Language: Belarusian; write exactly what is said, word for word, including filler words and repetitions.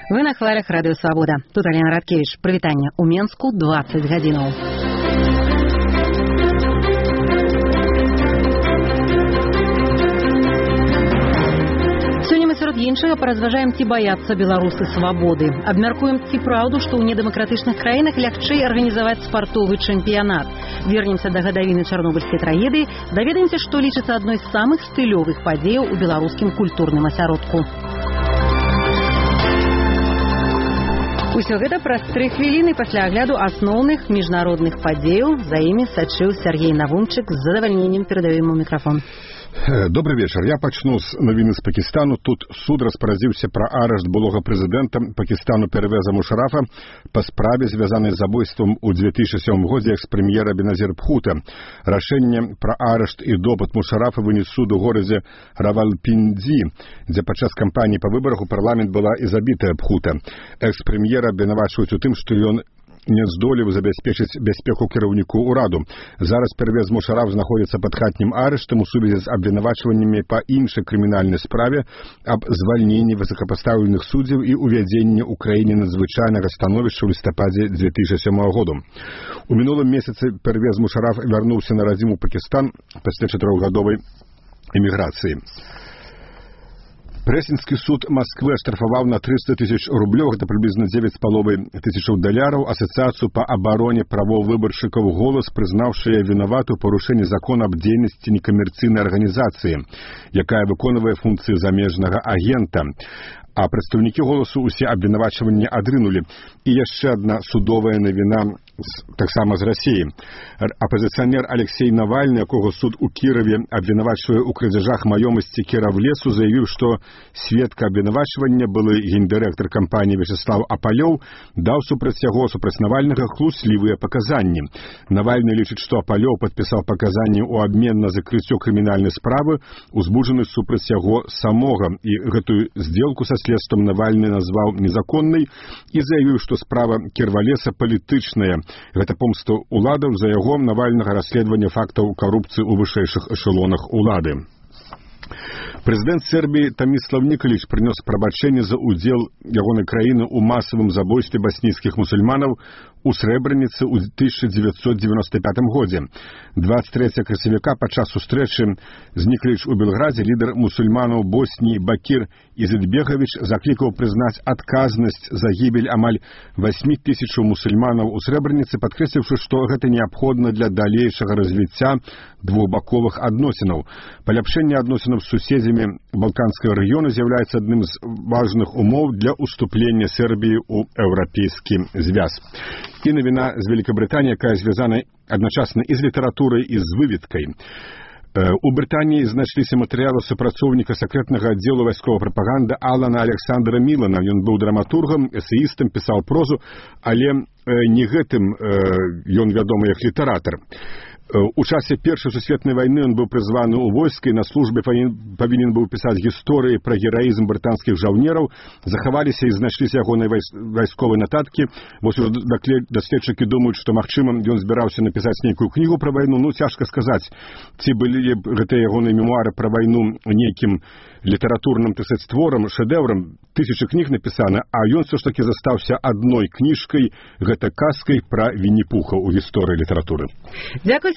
Вы на хвалях Радыё Свабода. Тут Алена Радкевич. Прывітанне ў Менску дваццаць гадзінаў. Сёння мы сярод іншага паразважаем, ці баяцца беларусы свабоды. Абмяркуем, ці праўду, што ў недэмакратычных краінах лягчэй арганізаваць спартовы чэмпіянат. Вернемся да гадавіны чарнобыльскай трагедыі, даведаемся, што лічыцца адной з самых стылёвых падзеяў у беларускім культурным асяродку. Усё гэта праз тры хвіліны пасля агляду асноўных міжнародных падзеяў. За імі сачыў Сергей Навумчык. З задавальненнем перадаю ему мікрафон. Добрый вечер. Я пачну з навіны з Пакістану. Тут суд распарадзіўся пра арышт былога прэзідэнта Пакістану Первеза Мушарафа па справе, звязанай з забойствам у две тысячи сёмым годзе экс-прэм'ера Беназір Бхута. Рашэнне пра арышт і допыт Мушарафа вынес суд у горадзе Равалпіндзі, дзе падчас кампаніі па выбарах у парламент была і забітая Бхута. Экс-прэм'ера абвінавачваюць у тым, што ён не здолеў забяспечыць бяспеку кіраўніку ўраду. Зараз Первез Мушараф знаходзіцца пад хатнім арыштам у сувязі з абвінавачваннямі па іншай крымінальнай справе аб звальненні высокапастаўленых суддзяў і увядзенні ў краіне надзвычайнага становішча ў лістападзе две тысячи сёмага году. У мінулым месяцы Первез Мушараф вярнуўся на радзіму Пакістан пасля чатырохгадовай эміграцыі. Прэсінскі суд Масквы аштрафаваў на триста тысяч рублёў, гэта прыблізна девять з паловай тысячаў даляраў, асацыяцыю па абароне правоў выбаршчыкаў «Голас», прызнаўшы яе вінаватую ў парушэнні закона аб дзейнасці некамерцыйнай арганізацыі, якая выконвае функцыі замежнага агента. А прадстаўнікі «Голасу» усе абвінавачванні адрынулі. І яшчэ адна судовая навіна таксама з Расіі. Апазіцыянер Алексей Навальны, якога суд у Кіраве абвінавачвае ў крадзяжах маёмасці Кіравлесу, заявіў, што сведка абвінавачвання, былы гендырэктар кампаніі Вячеслав Апалёў, даў супраць яго супраць Навальнага хлуслівыя паказанні. Навальны лічыць, што Апалёў падпісаў паказанні ў абмен на закрыццё крымінальнай справы, узбуджаны супраць яго самога, і гэтую здзелку са следствам Навальны назваў незаконнай і заявіў, што справа Кірвалеса палітычная. Гэта помста ўладаў за яго Навальнага расследавання фактаў карупцыі ў вышэйшых эшелонах улады. Прэзідэнт Сербіі Томислав Николич прынёс прабачэнне за ўдзел ягонай краіны ў масавым забойстве баснійскіх мусульманаў у Срэбраніцы ў тысяча дзевяцьсот дзевяносто пятым годзе. двадцать трэцяга красавіка падчас сустрэчы з Николич у Белградзе лідар мусульманаў Босніі Бакір Изетбегович заклікаў прызнаць адказнасць за гібель амаль восьмі тысячаў мусульманаў у Срэбраніцы, падкрэсліўшы, што гэта неабходна для далейшага развіцця двухбаковых адносінаў. Паляпшэнне адносінаў з суседзямі Балканскага рэгіёна з'яўляецца адным з важных умоў для ўступлення Сербіі ў еўрапейскі звяз. І навіна з Великабрытаніі, якая звязана адначасна і з літаратурай, і з выведкай. У Брытаніі знайшліся матэрыялы супрацоўніка сакрэтнага аддзелу вайсковай прапаганды Алана Александра Мілана. Ён быў драматургам, эсеістам, пісаў прозу, але не гэтым ён вядомы як літаратар. У часе Першай сусветнай вайны ён быў прызваны ў войска і на службе павінен быў пісаць гісторыі пра гераізм брытанскіх жаўнераў. Захаваліся і знайшліся ягоныя вайсковыя нататкі. Вось даследчыкі думаюць, што, магчыма, ён збіраўся напісаць нейкую кнігу пра вайну. Ну, цяжка сказаць, ці былі гэтыя ягоныя мемуары пра вайну нейкім літаратурным, так сказаць, творам, шэдэўрам. Тысячы кніг напісана, а ён все ж таки застаўся адной кніжкай, гэта казкай пра Вінні-Пуха ў гісторыі літаратуры. Дзякуй,